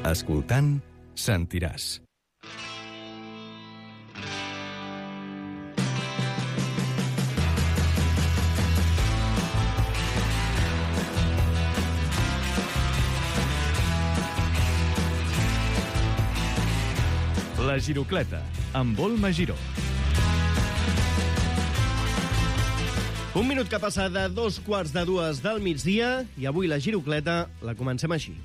Escoltant, sentiràs. La Girocleta, amb Olma Giró. Un minut que passa de 2:45 del migdia i avui la Girocleta la comencem així.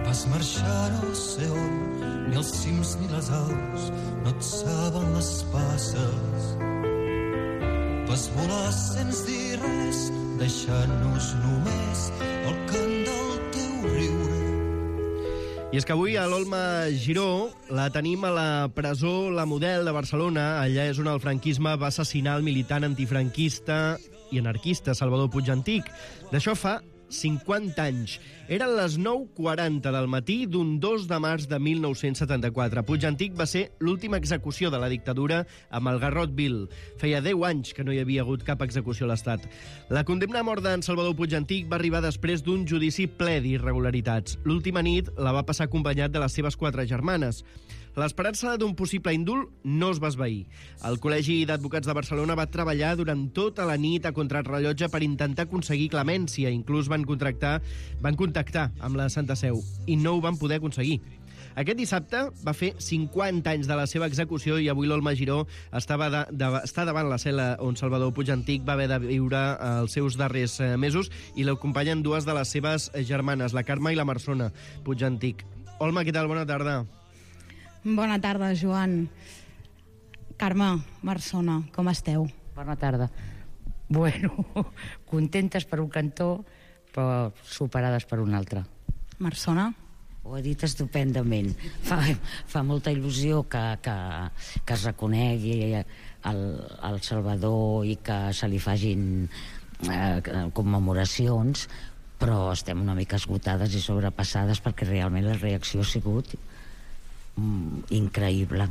Vas marxar no sé on, ni els cims ni les aus no et saben les passes. Vas volar sense dir res, deixant-nos només el cant del teu riure. I és que avui a l'Olma Giró la tenim a la presó La Model de Barcelona. Allà és on el franquisme va assassinar el militant antifranquista i anarquista Salvador Puig Antich. D'això fa 50 anys. Eren les 9:40 del matí d'un 2 de març de 1974. Puig Antich va ser l'última execució de la dictadura amb el garrot vil. Feia 10 anys que no hi havia hagut cap execució a l'Estat. La condemna a mort d'en Salvador Puig Antich va arribar després d'un judici ple d'irregularitats. L'última nit la va passar acompanyat de les seves 4 germanes. L'esperança d'un possible indult no es va esvair. El Col·legi d'Advocats de Barcelona va treballar durant tota la nit a contrarrellotge per intentar aconseguir clemència. Inclús van contactar amb la Santa Seu i no ho van poder aconseguir. Aquest dissabte va fer 50 anys de la seva execució i avui l'Olma Giró està davant la cel·la on Salvador Puig Antich va haver de viure els seus darrers mesos i l'acompanyen dues de les seves germanes, la Carme i la Marsona Puig Antich. Olma, què tal? Bona tarda. Bona tarda, Joan. Carme, Marsona, com esteu? Bona tarda. Bueno, contentes per un cantó, però superades per un altre. Marsona? Ho ha dit estupendament. Fa molta il·lusió que es reconegui el Salvador i que se li facin commemoracions, però estem una mica esgotades i sobrepassades perquè realment la reacció ha sigut increïble.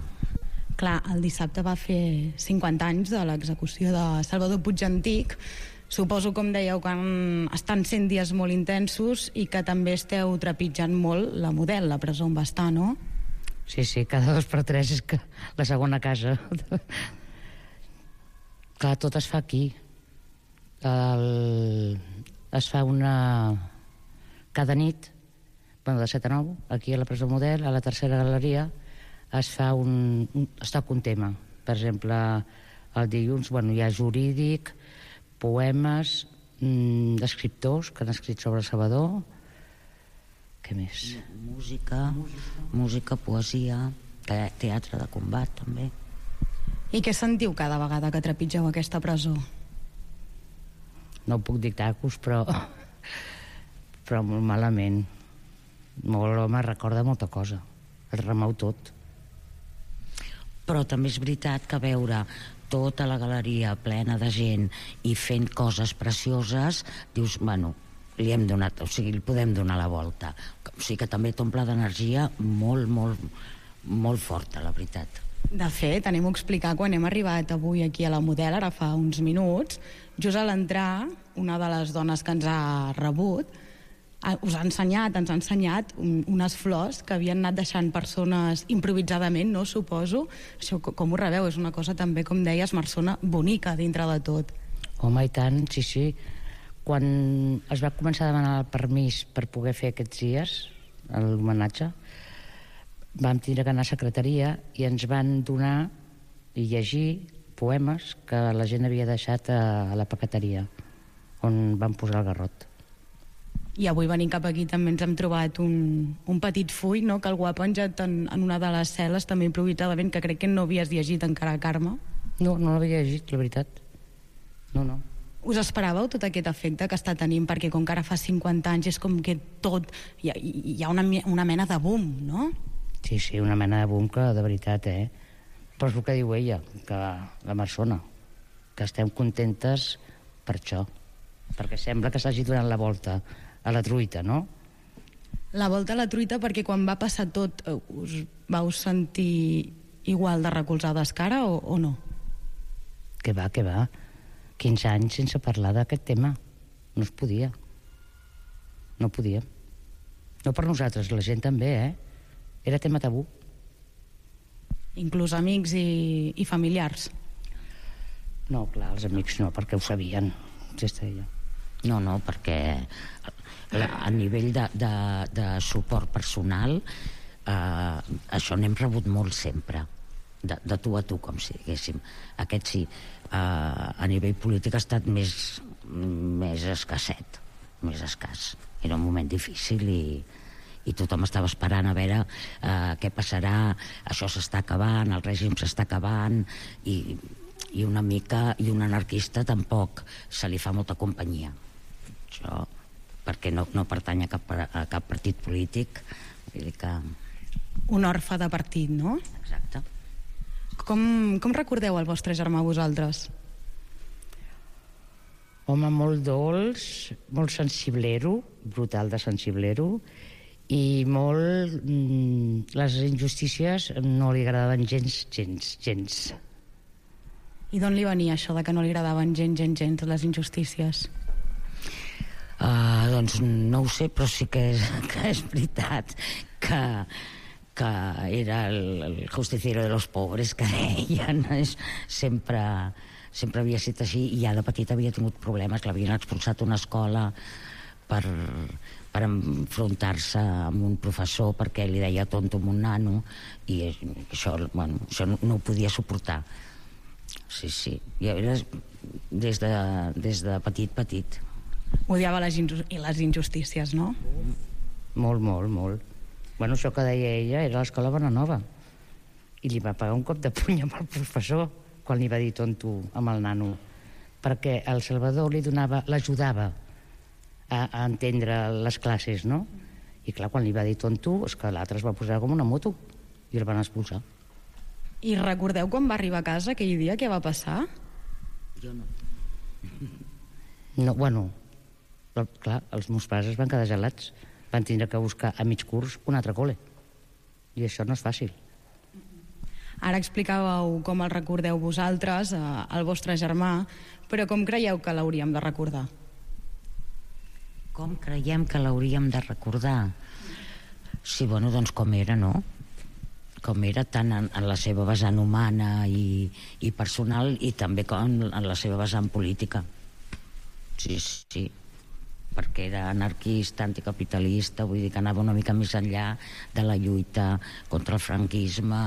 Clar, el dissabte va fer 50 anys de l'execució de Salvador Puig Antich. Suposo, com dèieu, que estan sent dies molt intensos i que també esteu trepitjant molt la Model, la presó on va estar, no? Sí, cada 2 per 3 és que la segona casa. Clar, tot es fa aquí. Es fa cada nit, de 7 a 9, aquí a la presó Model, a la tercera galeria, està un tema. Per exemple, el dilluns hi ha jurídic, poemes d'escriptors que han escrit sobre el Salvador. Què més? Música, poesia, teatre de combat també. I què sentiu cada vegada que trepitgeu aquesta presó? No puc dictar-vos, però molt malament. Me recorda molta cosa, el remou tot. Però també és veritat que veure tota la galeria plena de gent i fent coses precioses, dius, li podem donar la volta. O sigui que també t'omple d'energia molt, molt, molt forta, la veritat. De fet, anem a explicar quan hem arribat avui aquí a la Model, ara fa uns minuts, just a l'entrar, una de les dones que ens ha rebut ens ha ensenyat unes flors que havien anat deixant persones improvisadament, no? Suposo. Això, com ho rebeu? És una cosa també, com deies, Marsona, bonica dintre de tot. Home, i tant, sí. Quan es va començar a demanar el permís per poder fer aquests dies, l'homenatge, vam tindre que anar a secretaria i ens van donar i llegir poemes que la gent havia deixat a la paqueteria, on van posar el garrot. I avui venint cap aquí també ens hem trobat un petit full, no?, que algú ha penjat en una de les cel·les, també improvisadament, que crec que no havies llegit encara, Carme. No l'havia llegit, la veritat. No. Us esperàveu tot aquest efecte que està tenint? Perquè com que ara fa 50 anys és com que tot... Hi ha una mena de boom, no? Sí, una mena de boom que de veritat, Però és el que diu ella, que la Marsona, que estem contentes per això. perquè sembla que s'hagi donat la volta a la truita, no? La volta a la truita perquè quan va passar tot us vau sentir igual de recolzades que ara o no? Que va. 15 anys sense parlar d'aquest tema. No es podia. No podia. No per nosaltres, la gent també, Era tema tabú. Inclús amics i familiars? No, clar, els amics no, perquè ho sabien. No, perquè a nivell de suport personal això n'hem rebut molt sempre, de tu a tu, com si diguéssim. Aquest sí, a nivell polític ha estat més escasset, més escàs. Era un moment difícil i tothom estava esperant a veure què passarà, això s'està acabant, el règim s'està acabant, i una mica, i un anarquista tampoc se li fa molta companyia. Això, perquè no pertany a cap partit polític, vull dir que... Un orfe de partit, no? Exacte. Com recordeu el vostre germà vosaltres? Home, molt dolç, molt sensiblero, brutal de sensiblero, i molt... les injustícies no li agradaven gens. I d'on li venia això de que no li agradaven gens les injustícies? Doncs no ho sé, però sí que és veritat que era el justiciero de los pobres, que deien. Sempre havia estat així, i ja de petit havia tingut problemes, que l'havien expulsat d'una escola per enfrontar-se amb un professor perquè li deia tonto a un nano, i això no ho podia suportar. Sí, ja era des de petit. Odiava les injustícies, no? Molt. Bueno, això que deia ella era a l'escola Bonanova, i li va pagar un cop de puny amb el professor quan li va dir tonto amb el nano, perquè el Salvador l'ajudava a entendre les classes, no? I clar, quan li va dir tonto, és que l'altre es va posar com una moto i el van expulsar. I recordeu quan va arribar a casa aquell dia, què va passar? Jo no. No, bueno, clar, els meus pares es van quedar gelats. Van tindre que buscar a mig curs un altre col·le. I això no és fàcil. Ara explicàveu com el recordeu vosaltres, el vostre germà, però com creieu que l'hauríem de recordar? Com creiem que l'hauríem de recordar? Sí, bueno, doncs com era, no? Com era tant en la seva vessant humana i personal, i també com en la seva vessant política. Sí, perquè era anarquista, anticapitalista, vull dir que anava una mica més enllà de la lluita contra el franquisme,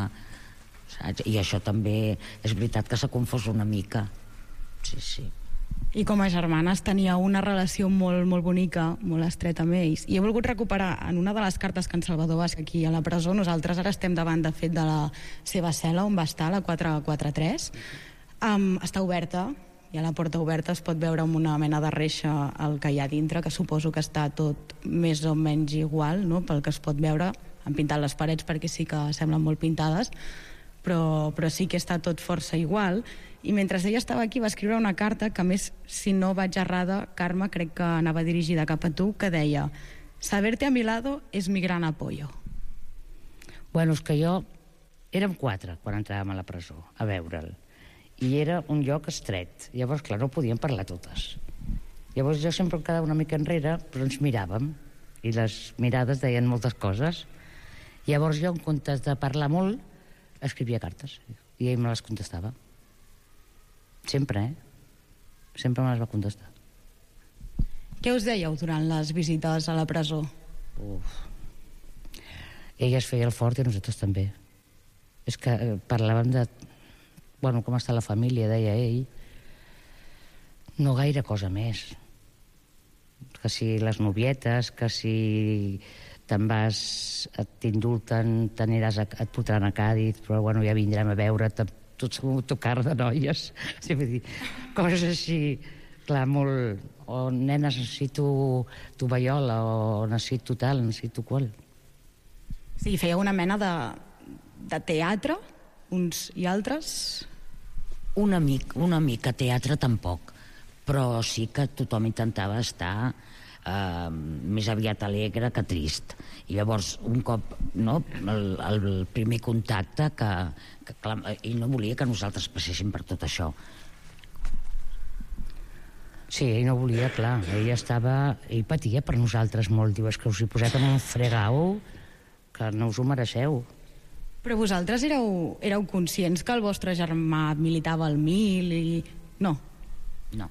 saps? I això també és veritat que s'ha confós una mica. Sí. I com a germanes tenia una relació molt, molt bonica, molt estreta amb ells. I he volgut recuperar en una de les cartes que en Salvador va escriure aquí a la presó. Nosaltres ara estem davant, de fet, de la seva cel·la on va estar, la 443. Està oberta, i a la porta oberta es pot veure amb una mena de reixa el que hi ha dintre, que suposo que està tot més o menys igual, no?, pel que es pot veure. Han pintat les parets perquè sí que semblen molt pintades, però sí que està tot força igual. I mentre ella estava aquí va escriure una carta que, a més, si no vaig errada, Carme, crec que anava dirigida cap a tu, que deia: saberte a mi lado es mi gran apoyo. Bueno, és que érem 4 quan entràvem a la presó a veure'l, i era un lloc estret. Llavors, clar, no podíem parlar totes. Llavors jo sempre em quedava una mica enrere, però ens miràvem, i les mirades deien moltes coses. Llavors jo, en comptes de parlar molt, escrivia cartes, i ell me les contestava. Sempre, Sempre me les va contestar. Què us dèieu durant les visites a la presó? Ell es feia el fort i nosaltres també. És que parlàvem de... Bueno, com està la família, deia ell. No gaire cosa més. Que si les novietes, que si te'n vas, t'indulten, et portaran a Càdiz, però bueno, ja vindrem a veure't, tot segur tocar de noies. Sí, vull dir, coses així, clar, molt... O nenes, necessito tovallola, o necessito tal, necessito qual. Sí, feia una mena de teatre, uns i altres? Una mica teatre tampoc, però sí que tothom intentava estar més aviat alegre que trist. I llavors, un cop, no, el primer contacte, que clar, ell no volia que nosaltres passéssim per tot això. Sí, ell no volia, clar. Ell patia per nosaltres molt. Diu, és que us hi posat en un fregau que no us ho mereixeu. Però vosaltres éreu conscients que el vostre germà militava al 1000 i... No. No.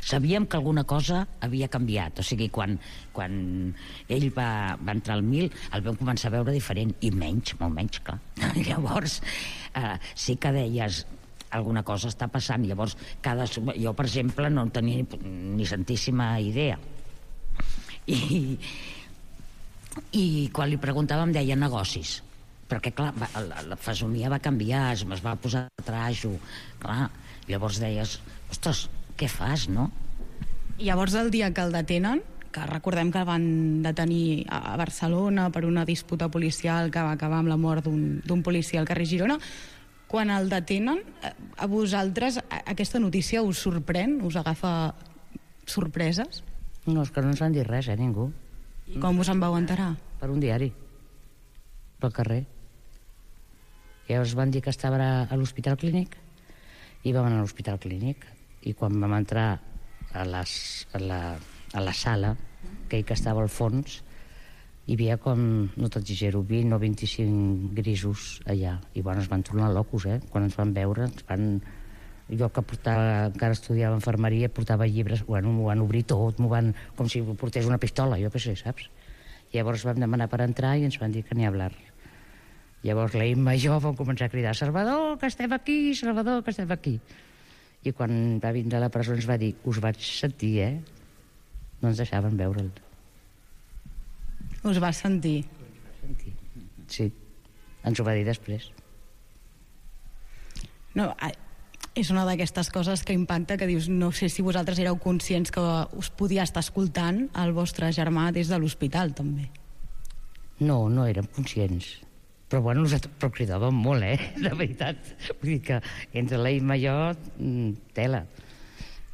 Sabíem que alguna cosa havia canviat. O sigui, quan ell va entrar al 1000, el vam començar a veure diferent, i menys, molt menys, clar. Llavors, sí que deies alguna cosa està passant. Llavors, jo, per exemple, no en tenia ni santíssima idea. I quan li preguntàvem deia negocis, perquè clar, la fesomia va canviar, es va posar trajo, clar, llavors deies, ostres, què fas, no? I llavors el dia que el detenen, que recordem que el van detenir a Barcelona per una disputa policial que va acabar amb la mort d'un policia al carrer Girona, quan el detenen, a vosaltres aquesta notícia us sorprèn? Us agafa sorpreses? No, és que no ens van dir res, ningú. I com us en vau enterar? Per un diari, pel carrer. I llavors van dir que estava a l'Hospital Clínic i vam anar a l'Hospital Clínic, i quan vam entrar a la sala, aquell que estava al fons, hi havia com, no t'exagero, 20 o 25 grisos allà, i bueno, es van tornar locos, quan ens van veure, jo que encara estudiava infermeria, portava llibres, bueno, m'ho van obrir tot, com si portés una pistola, jo què sé, saps? Llavors vam demanar per entrar i ens van dir que ni hablar. Llavors la Imma i jo vam començar a cridar, Salvador, que estem aquí, Salvador, que estem aquí. I quan va vindre a la presó ens va dir, us vaig sentir, no ens deixaven veure'l. Us va sentir? Sí, ens ho va dir després. No, és una d'aquestes coses que impacta, que dius, no sé si vosaltres éreu conscients que us podia estar escoltant el vostre germà des de l'hospital, també. No, no érem conscients. Però bueno, però cridàvem molt, de veritat. Vull dir que entre la Imma i jo, tela.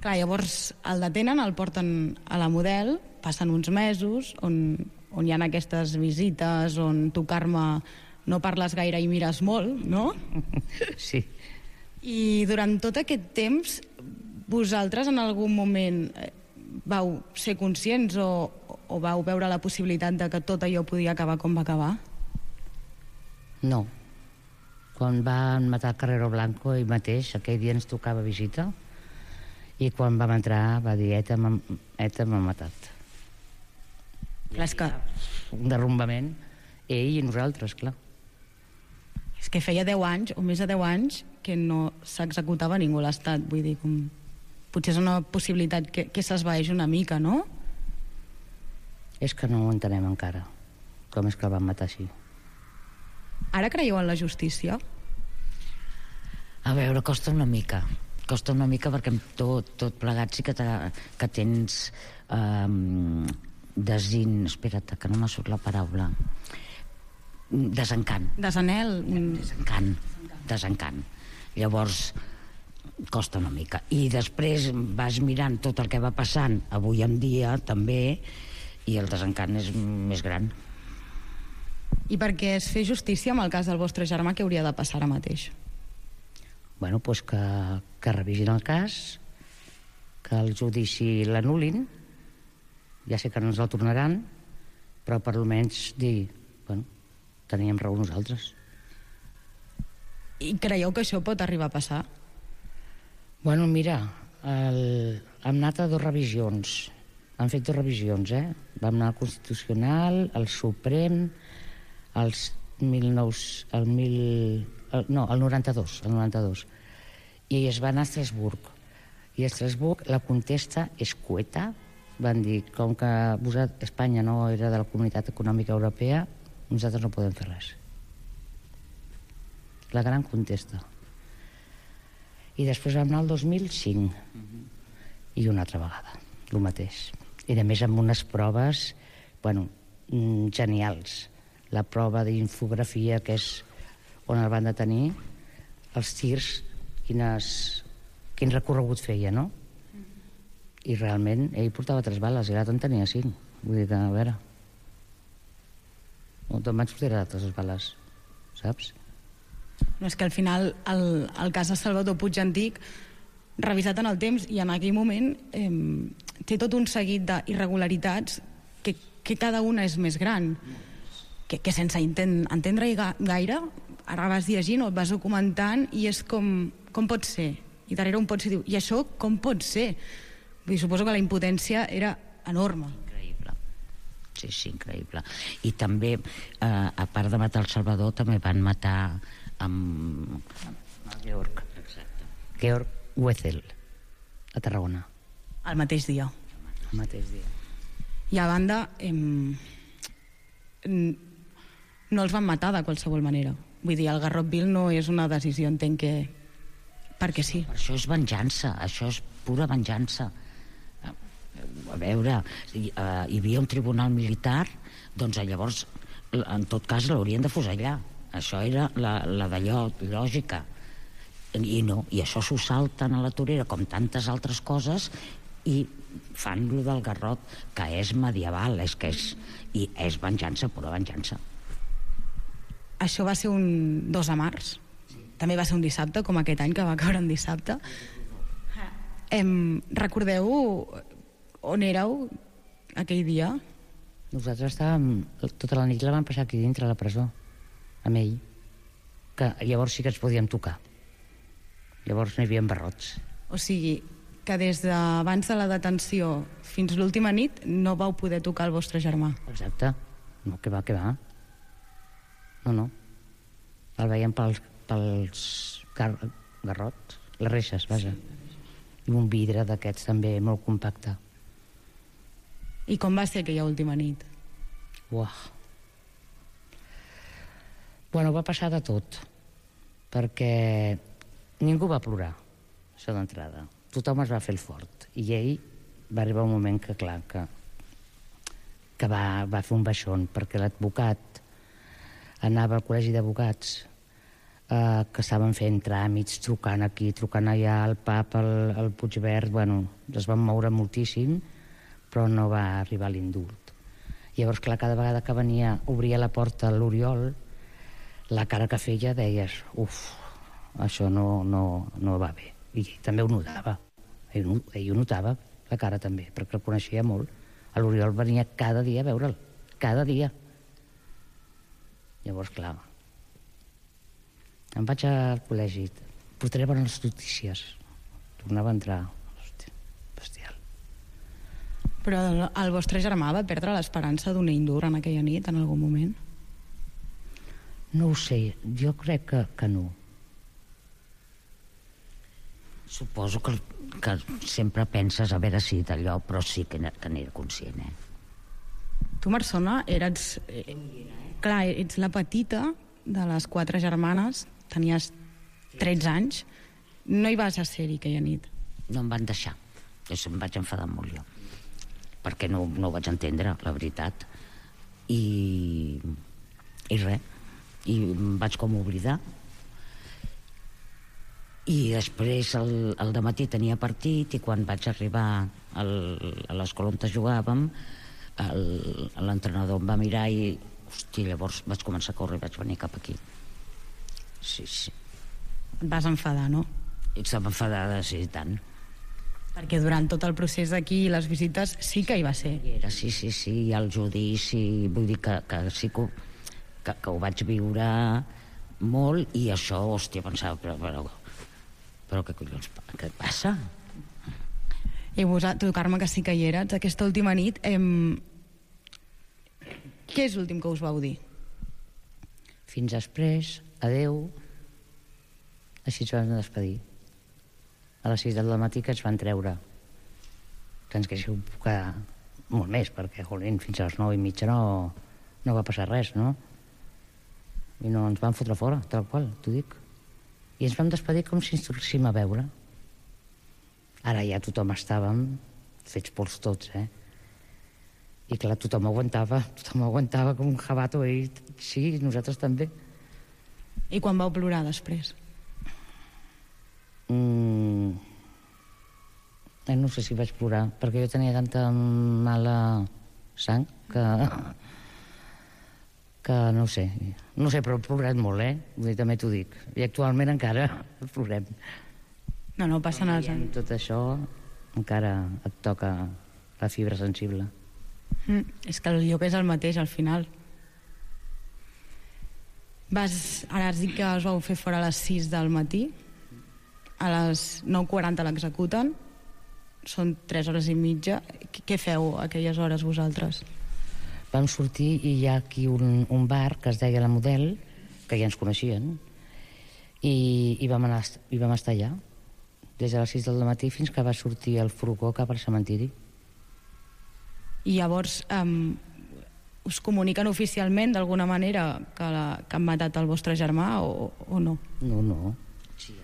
Clar, llavors el detenen, el porten a la Model, passen uns mesos on hi ha aquestes visites, on tu, Carme, no parles gaire i mires molt, no? Sí. I durant tot aquest temps, vosaltres en algun moment vau ser conscients o vau veure la possibilitat de que tot allò podia acabar com va acabar? No. Quan van matar el Carrero Blanco, ell mateix, aquell dia ens tocava visita, i quan vam entrar va dir, ETA m'ha matat. Clar, és que... Un derrumbament, ell i nosaltres, clar. És que feia 10 anys, o més de 10 anys, que no s'executava ningú a l'Estat. Vull dir, potser és una possibilitat que s'esvaeix una mica, no? És que no ho entenem encara, com és que el van matar així. Ara creieu en la justícia? A veure, costa una mica perquè amb tot plegat sí que tens espera't, que no m'ha surt la paraula, desencant. Desanhel? Desencant. Llavors costa una mica, i després vas mirant tot el que va passant avui en dia també, i el desencant és més gran. I perquè es fer justícia amb el cas del vostre germà, què hauria de passar ara mateix? Bueno, doncs que revisin el cas, que el judici l'anul·lin, ja sé que no ens el tornaran, però per almenys dir, bueno, teníem raó nosaltres. I creieu que això pot arribar a passar? Bueno, mira, hem anat a 2 revisions, han fet 2 revisions, vam anar al Constitucional, al Suprem, el 92, i es va anar a Estrasburg, i a Estrasburg la contesta és cueta, van dir, com que Espanya no era de la Comunitat Econòmica Europea, nosaltres no podem fer res. La gran contesta. I després vam anar al 2005, i una altra vegada, el mateix. I a més amb unes proves, bueno, genials. La prova d'infografia, que és on el van detenir, els tirs, quin recorregut feia, no? I realment ell portava 3 bales i l'altre en tenia 5. Vull dir que, a veure, on te'n vaig sortir d'altres bales, saps? No, és que al final el cas de Salvador Puig Antic, revisat en el temps i en aquell moment, té tot un seguit d'irregularitats que cada una és més gran, que sense entendre-hi gaire, ara vas llegint o et vas documentant i és com pot ser? I darrere un pot ser, diu, i això com pot ser? Vull dir, suposo que la impotència era enorme. Increïble. Sí, increïble. I també, a part de matar el Salvador, també van matar amb Georg. Exacte. Georg Wetzel, a Tarragona. El mateix dia. El mateix dia. I a banda, no els van matar de qualsevol manera. Vull dir, el Garrotville no és una decisió, entenc que perquè sí. Això és venjança, això és pura venjança. A veure, hi havia un tribunal militar, doncs llavors, en tot cas, l'haurien de fusellar. Això era la d'allò, lògica. I no, i això s'ho salten a la torera, com tantes altres coses, i fan lo del garrot, que és medieval, i és venjança, pura venjança. Això va ser un 2 de març. També va ser un dissabte, com aquest any, que va caure en dissabte. Recordeu on éreu aquell dia? Nosaltres estàvem... Tota la nit la vam passar aquí dintre la presó, amb ell, que llavors sí que ens podíem tocar. Llavors no hi havia barrots. O sigui, que des d'abans de la detenció fins l'última nit no vau poder tocar el vostre germà. Exacte. No, que va. No. El veiem pels garrots, les reixes, vaja. I un vidre d'aquests també molt compacte. I com va ser aquella última nit? Uah. Bueno, va passar de tot, perquè ningú va plorar, això d'entrada. Tothom es va fer el fort. I ell va arribar un moment que, clar, que va fer un baixón, perquè l'advocat anava al col·legi d'advocats, que estaven fent tràmits, trucant aquí, trucant allà, al PAP, al Puigverd, bueno, es van moure moltíssim, però no va arribar l'indult. Llavors, clar, cada vegada que venia, obria la porta a l'Oriol, la cara que feia deies, això no va bé. I ell també ho notava. Ell ho notava, la cara també, perquè el coneixia molt. L'Oriol venia cada dia a veure'l, cada dia. Llavors, clar, em vaig al col·legi, portaré bones notícies. Tornava a entrar. Hòstia, bestial. Però el vostre germà va perdre l'esperança d'un ell en aquella nit, en algun moment? No ho sé, jo crec que no. Suposo que sempre penses a veure si d'allò, però sí que n'era conscient, Tu, Marsona, ets la petita de les 4 germanes, tenies 13 anys, no hi vas a ser-hi aquella nit? No em van deixar, em vaig enfadar molt jo, perquè no ho vaig entendre, la veritat, i res, i em vaig com oblidar. I després al dematí tenia partit, i quan vaig arribar a l'escola on jugàvem, l'entrenador em va mirar i llavors vaig començar a córrer i vaig venir cap aquí. Sí. Et vas enfadar, no? Estava enfadada, sí, tant. Perquè durant tot el procés d'aquí i les visites sí que hi va ser. Sí, i el judici, vull dir que sí que ho vaig viure molt, i això, pensava, però què collons, què passa? I tu, Carme, que sí que hi eres, aquesta última nit, què és l'últim que us vau dir? Fins després, adeu, així ens vam despedir. A les 6 del matí que ens van treure. Que ens quedéssiu quedar molt més, perquè, jolín, fins a les 9:30 no va passar res, no? I no ens van fotre fora, tal qual, t'ho dic. I ens vam despedir com si ens tornéssim a veure. Ara ja tothom estàvem fets pols tots, I clar, tothom aguantava com un jabato, i sí, nosaltres també. I quan vau plorar després? No sé si vaig plorar, perquè jo tenia tanta mala sang que no ho sé, però he plorat molt, Vull dir, també t'ho dic. I actualment encara plorem. No passen els anys. Tot això encara et toca la fibra sensible. És que el lloc és el mateix al final. Ara has dit que us vau fer fora a les 6 del matí, a les 9:40 l'executen, són 3 hores i mitja. Què feu aquelles hores vosaltres? Vam sortir i hi ha aquí un bar que es deia La Model, que ja ens coneixien, i vam estar allà des de les 6 del matí fins que va sortir el furgó cap al cementiri. I llavors us comuniquen oficialment d'alguna manera que han matat el vostre germà o no? No. Sí,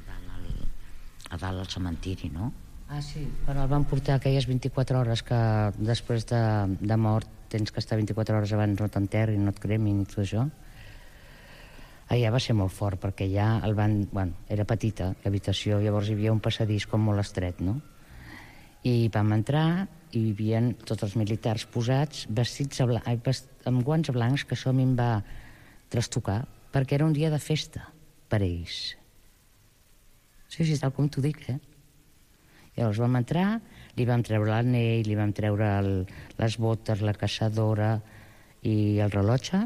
a dalt al cementiri, no? Sí, quan el van portar aquelles 24 hores que després de mort tens que estar 24 hores abans no t'enterrin, no et cremin i tot això. Allà va ser molt fort perquè ja era petita l'habitació, llavors hi havia un passadís com molt estret, no? I vam entrar i hi havia tots els militars posats vestits amb guants blancs, que això a mi em va trastocar perquè era un dia de festa per ells. Sí, tal com t'ho dic, Llavors vam entrar, li vam treure l'anell, li vam treure les botes, la caçadora i el rellotge.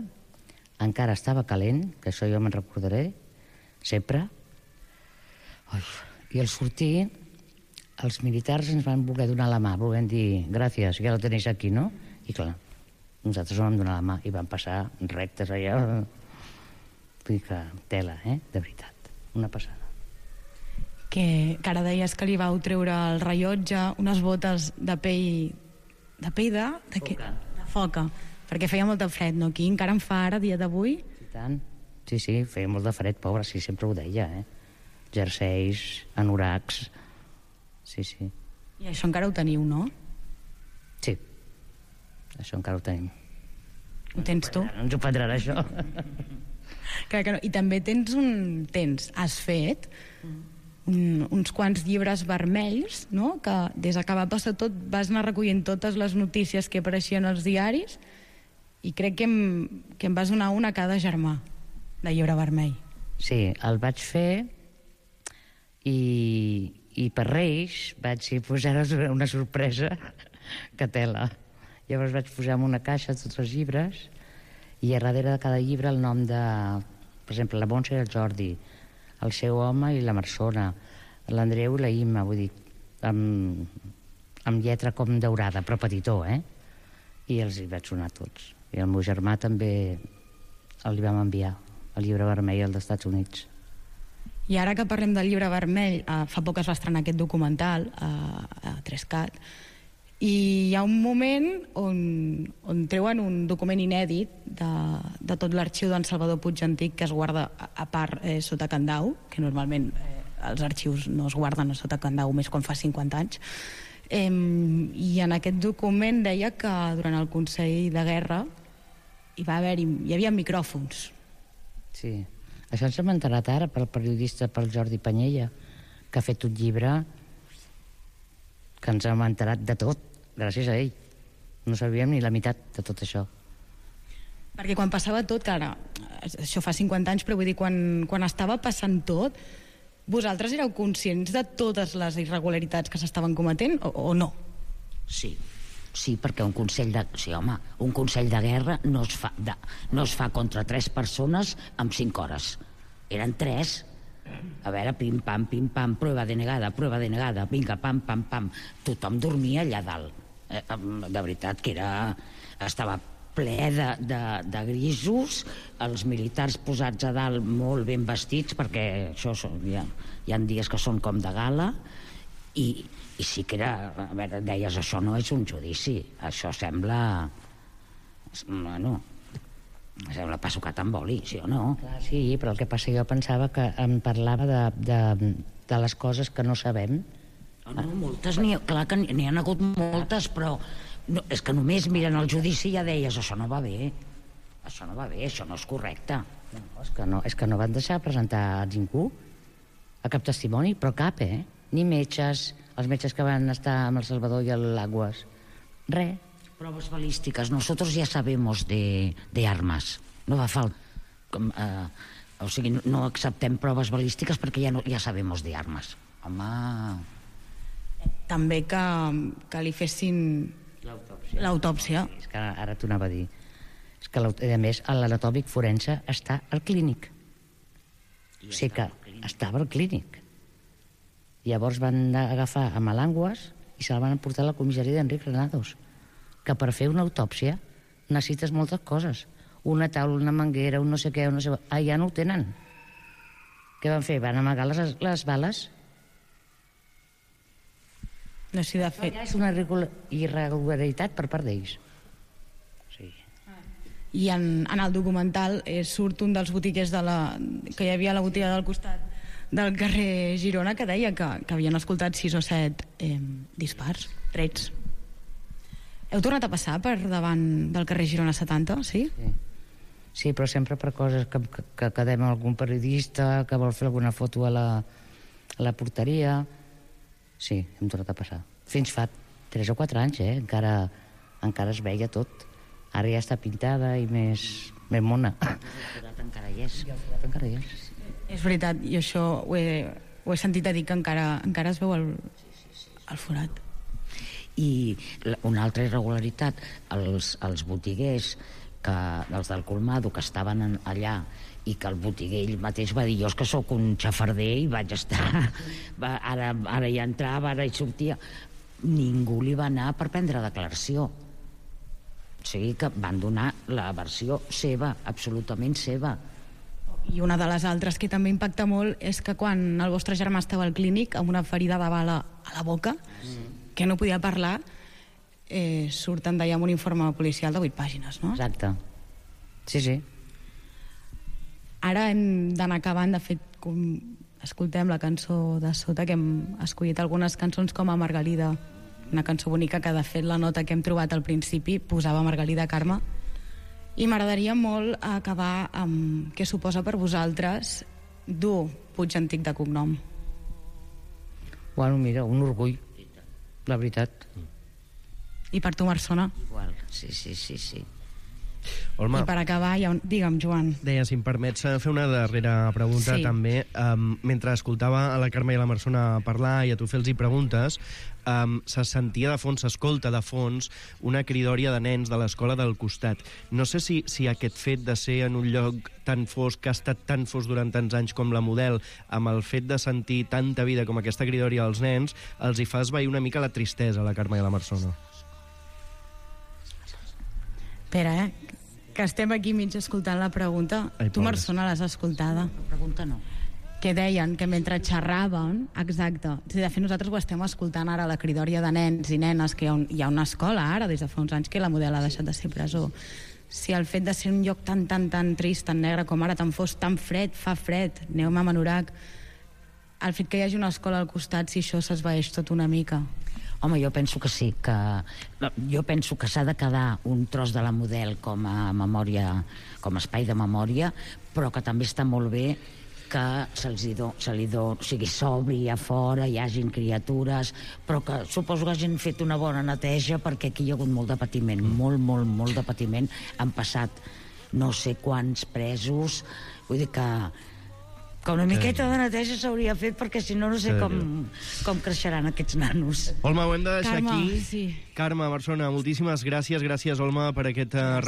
Encara estava calent, que això jo me'n recordaré, sempre. I al sortir, els militars ens van voler donar la mà, volent dir, gràcies, ja la tenéis aquí, no? I clar, nosaltres no vam donar la mà i vam passar rectes allà. Vull dir que tela, de veritat, una passada. Que ara deies que li vau treure el rellotge, unes botes de pell de foca, perquè feia molt de fred, no? Aquí encara en fa ara, dia d'avui? I tant. Sí, feia molt de fred, pobra, sí, sempre ho deia, Jerseis, anoracs, sí. I això encara ho teniu, no? Sí, això encara ho tenim. Ho tens tu? No ens ho prendran, això. Clar que no. I també has fet uns quants llibres vermells, no? Que des que va passar tot vas anar recollint totes les notícies que apareixien als diaris i crec que em vas donar una a cada germà de llibre vermell. Sí, el vaig fer i per Reis vaig posar una sorpresa que tela. Llavors vaig posar en una caixa tots els llibres i a darrere de cada llibre el nom de, per exemple, la Montse i el Jordi, el seu home i la Marsona, l'Andreu i la Imma, vull dir, amb lletra com daurada, però petitó, I els hi vaig donar tots. I el meu germà també li vam enviar el llibre vermell als Estats Units. I ara que parlem del llibre vermell, fa poc es va estrenar aquest documental a 3CAT, i hi ha un moment on treuen un document inèdit de tot l'arxiu d'en Salvador Puig Antic, que es guarda a part sota candau, que normalment els arxius no es guarden sota candau més quan fa 50 anys, i en aquest document deia que durant el Consell de Guerra hi havia micròfons. Sí, això ens hem enterat ara pel periodista, pel Jordi Panyella, que ha fet un llibre que ens hem enterat de tot, gràcies a ell. No sabíem ni la meitat de tot això. Perquè quan passava tot, que ara, això fa 50 anys, però vull dir, quan estava passant tot, vosaltres éreu conscients de totes les irregularitats que s'estaven cometent o no? Sí, perquè un consell de guerra no es fa contra 3 persones en 5 hores. Eren 3. A veure, pim-pam, prueba denegada, vinga, pam. Tothom dormia allà dalt. De veritat que estava ple de grisos, els militars posats a dalt molt ben vestits, perquè això hi ha dies que són com de gala, i sí que era, a veure, deies, això no és un judici, això sembla, sembla pa sucat amb oli, sí o no? Clar, sí, però el que passa, jo pensava que em parlava de les coses que no sabem. No, moltes, clar que n'hi ha hagut moltes, però és que només miren el judici i ja deies, això no va bé, això no és correcte. No, és que no van deixar presentar a ningú, a cap testimoni, però cap, ni metges, Els metges que van estar amb el Salvador i l'Aguas. Res. Pruebas balísticas. Nosotros ya sabemos de armas. No va falta... o sigui, no acceptem proves balístiques perquè ja sabemos de armes. Home... També que li fessin l'autòpsia. És que ara t'ho anava a dir. És que, a més, l'anatòmic forense està al clínic. O sigui que estava al clínic. Llavors van agafar a Malangües i se'l van portar a la comissaria d'Enric Granados, que per fer una autòpsia necessites moltes coses. Una taula, una manguera, un no sé què, un no sé... ja no ho tenen. Què van fer? Van amagar les bales? No sé, de fet... És una irregularitat per part d'ells. Sí. I en el documental surt un dels botiguers que hi havia a la botiga del costat del carrer Girona, que deia que havien escoltat 6 o 7 dispars, trets. Heu tornat a passar per davant del carrer Girona 70, sí? Sí, però sempre per coses que quedem amb algun periodista, que vol fer alguna foto a la porteria. Sí, hem tornat a passar. Fins fa 3 o 4 anys, encara es veia tot. Ara ja està pintada i més mona. El forat encara hi és. Encara hi és. És veritat, i això ho he sentit a dir que encara es veu el forat. I una altra irregularitat, els botiguers, els del Colmado, que estaven allà i que el botiguer ell mateix va dir jo és que sóc un xafarder i vaig estar ara ja entrava, ara hi sortia, ningú li va anar per prendre declaració. O sigui que van donar la versió seva, absolutament seva. I una de les altres que també impacta molt és que quan el vostre germà estava al clínic amb una ferida de bala a la boca, que no podia parlar, surten d'allà amb un informe policial de 8 pàgines, no? Exacte. Sí. Ara hem d'anar acabant. De fet, escoltem la cançó de sota, que hem escollit algunes cançons com a Margalida, una cançó bonica que, de fet, la nota que hem trobat al principi posava Margalida Carme. I m'agradaria molt acabar amb què suposa per vosaltres dur Puig Antic de cognom. Bueno, mira, un orgull, la veritat. I per tu, Marsona? Igual, sí. Olma, I per acabar, digue'm, Joan. deia, si em permets fer una darrera pregunta, Sí. també. Mentre escoltava a la Carme i a la Marsona parlar i a tu fer-los preguntes, se sentia de fons, s'escolta de fons, una cridòria de nens de l'escola del costat. No sé si aquest fet de ser en un lloc tan fosc, que ha estat tan fosc durant tants anys com la Model, amb el fet de sentir tanta vida com aquesta cridòria als nens, els hi fa esvair una mica la tristesa a la Carme i a la Marsona. Espera, que estem aquí mig escoltant la pregunta. Ai, Tu, pobres. Marsona, l'has escoltada. La pregunta no. Que deien que mentre xerraven, exacte, de fet nosaltres ho estem escoltant ara, la cridòria de nens i nenes, que hi ha una escola ara, des de fa uns anys, que la Model ha deixat de ser presó. Si el fet de ser un lloc tan trist, tan negre com ara, tan fosc, tan fred, fa fred, aneu a Manorac, el fet que hi hagi una escola al costat, si això s'esvaeix tot una mica. Home, jo penso que sí, jo penso que s'ha de quedar un tros de la Model com a memòria, com a espai de memòria, però que també està molt bé que o sigui, s'obri a fora, hi hagin criatures, però que suposo que hagin fet una bona neteja, perquè aquí hi ha hagut molt de patiment, molt de patiment. Han passat no sé quants presos, vull dir que una miqueta de neteja s'hauria fet, perquè si no, no sé com creixeran aquests nanos. Olma, ho hem de deixar Carme, aquí. sí. Carme, Marsona, moltíssimes gràcies. Gràcies, Olma, per aquesta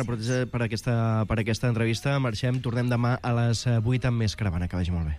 entrevista. Marxem, tornem demà a les 8 amb més Caravana. Que vagi molt bé.